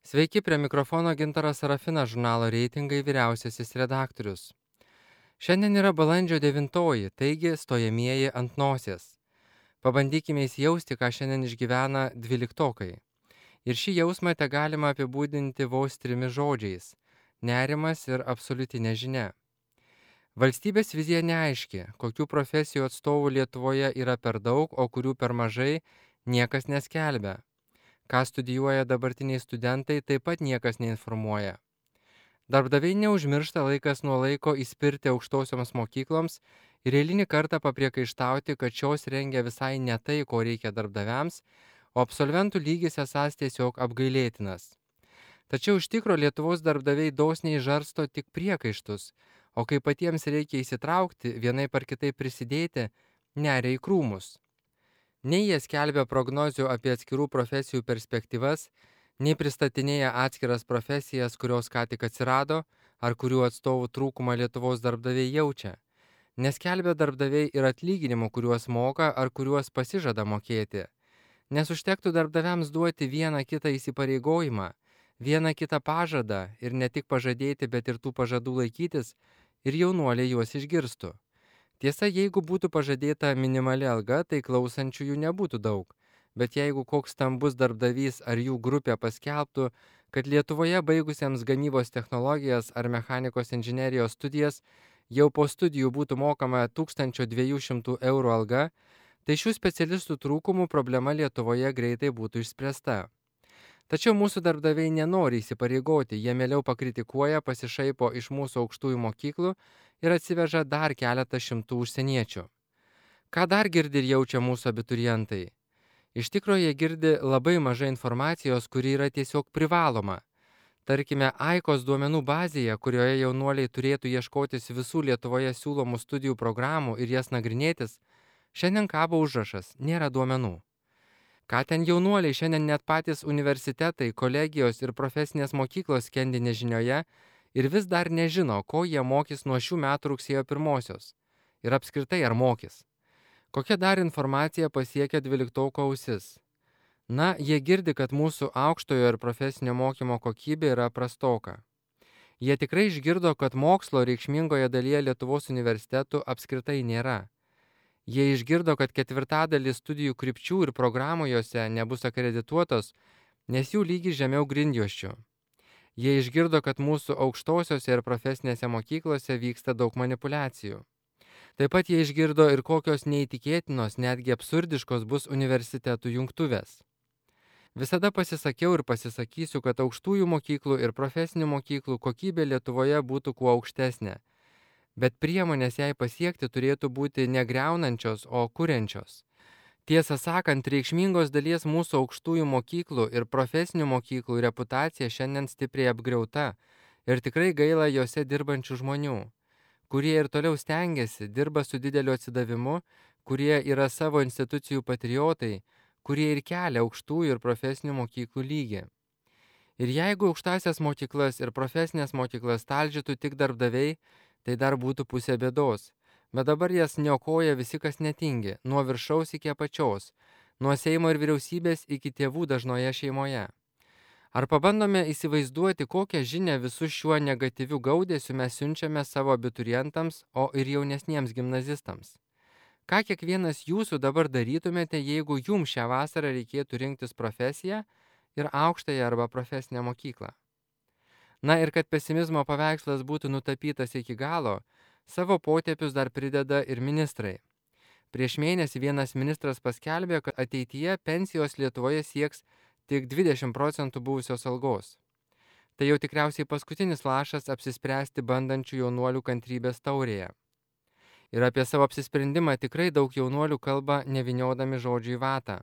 Sveiki, prie mikrofono Gintaras Sarafinas, žurnalo reitingai vyriausiasis redaktorius. Šiandien yra balandžio 9, taigi stojamieji ant nosies. Pabandykime įsijausti, ką šiandien išgyvena dvyliktokai. Ir šį jausmą te galima apibūdinti vos trimis žodžiais - nerimas ir absoliuti nežinia. Valstybės vizija neaiški, kokių profesijų atstovų Lietuvoje yra per daug, o kurių per mažai, niekas neskelbia. Ką studijuoja dabartiniai studentai, taip pat niekas neinformuoja. Darbdaviai neužmiršta laikas nuo laiko įspirti aukštosioms mokykloms ir eilinį kartą papriekaištauti, kad šios rengia visai ne tai, ko reikia darbdaviams, o absolventų lygis esąs tiesiog apgailėtinas. Tačiau iš tikro Lietuvos darbdaviai dosniai žarsto tik priekaištus, o kai patiems reikia įsitraukti, vienaip ar kitaip prisidėti, neria į krūmus. Nei jie skelbia prognozių apie atskirų profesijų perspektyvas, nei pristatinėja atskiras profesijas, kurios ką tik atsirado, ar kurių atstovų trūkumą Lietuvos darbdaviai jaučia. Neskelbia darbdaviai ir atlyginimų, kuriuos moka ar kuriuos pasižada mokėti. Nes užtektų darbdaviams duoti vieną kitą įsipareigojimą, vieną kitą pažadą ir ne tik pažadėti, bet ir tų pažadų laikytis, ir jaunuoliai juos išgirstų. Tiesa, jeigu būtų pažadėta minimali alga, tai klausančiųjų nebūtų daug. Bet jeigu koks stambus darbdavys ar jų grupė paskelbtų, kad Lietuvoje baigusiems gamybos technologijas ar mechanikos inžinerijos studijas jau po studijų būtų mokama 1200 eurų alga, tai šių specialistų trūkumų problema Lietuvoje greitai būtų išspręsta. Tačiau mūsų darbdaviai nenori įsipareigoti, jie mieliau pakritikuoja, pasišaipo iš mūsų aukštųjų mokyklų ir atsiveža dar keletą šimtų užsieniečių. Ką dar girdi ir jaučia mūsų abiturientai? Iš tikrųjų jie girdi labai mažai informacijos, kuri yra tiesiog privaloma. Tarkime, AIKOS duomenų bazėje, kurioje jaunuoliai turėtų ieškotis visų Lietuvoje siūlomų studijų programų ir jas nagrinėtis, šiandien kabo užrašas - nėra duomenų. Ką ten jaunuoliai, šiandien net patys universitetai, kolegijos ir profesinės mokyklos skendi nežinioje ir vis dar nežino, ko jie mokys nuo šių metų rugsėjo 1. Ir apskritai ar mokys. Kokia dar informacija pasiekia dvyliktoko ausis? Na, jie girdi, kad mūsų aukštojo ir profesinio mokymo kokybė yra prastoka. Jie tikrai išgirdo, kad mokslo reikšmingoje dalyje Lietuvos universitetų apskritai nėra. Jie išgirdo, kad ketvirtadalis studijų krypčių ir programų jose nebus akredituotos, nes jų lygis žemiau grindjuosčių. Jie išgirdo, kad mūsų aukštosiose ir profesinėse mokyklose vyksta daug manipulacijų. Taip pat jie išgirdo ir kokios neįtikėtinos, netgi absurdiškos bus universitetų jungtuvės. Visada pasisakiau ir pasisakysiu, kad aukštųjų mokyklų ir profesinių mokyklų kokybė Lietuvoje būtų kuo aukštesnė. Bet priemonės jai pasiekti turėtų būti negriaunančios, o kuriančios. Tiesą sakant, reikšmingos dalies mūsų aukštųjų mokyklų ir profesinių mokyklų reputacija šiandien stipriai apgriauta ir tikrai gaila jose dirbančių žmonių, kurie ir toliau stengiasi, dirba su dideliu atsidavimu, kurie yra savo institucijų patriotai, kurie ir kelia aukštųjų ir profesinių mokyklų lygį. Ir jeigu aukštasias mokyklas ir profesinės mokyklas talžytų tik darbdaviai, tai dar būtų pusė bėdos. Bet dabar jas niokoja visi, kas netingi, nuo viršaus iki apačios, nuo Seimo ir vyriausybės iki tėvų dažnoje šeimoje. Ar pabandome įsivaizduoti, kokią žinią visu šiuo negatyviu gaudesiu mes siunčiame savo abiturientams, o ir jaunesniems gimnazistams? Ką kiekvienas jūsų dabar darytumėte, jeigu jums šią vasarą reikėtų rinktis profesiją ir aukštąją arba profesinę mokyklą? Na ir kad pesimizmo paveikslas būtų nutapytas iki galo, savo potėpius dar prideda ir ministrai. Prieš mėnesį vienas ministras paskelbė, kad ateityje pensijos Lietuvoje sieks tik 20% buvusios algos. Tai jau tikriausiai paskutinis lašas apsispręsti bandančių jaunuolių kantrybės taurėje. Ir apie savo apsisprendimą tikrai daug jaunuolių kalba neviniodami žodžių į vatą.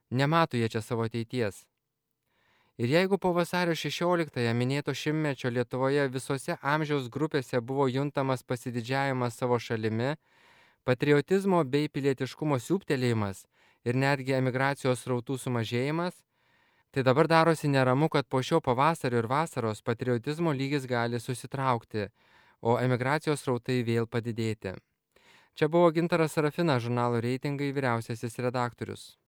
Nemato jie čia savo ateities. Ir jeigu po vasario 16-ąją minėto šimtmečio Lietuvoje visose amžiaus grupėse buvo juntamas pasididžiavimas savo šalimi, patriotizmo bei pilietiškumo siūbtelėjimas ir netgi emigracijos srautų sumažėjimas, tai dabar darosi neramu, kad po šio pavasario ir vasaros patriotizmo lygis gali susitraukti, o emigracijos srautai vėl padidėti. Čia buvo Gintaras Sarafinas, žurnalo reitingai vyriausiasis redaktorius.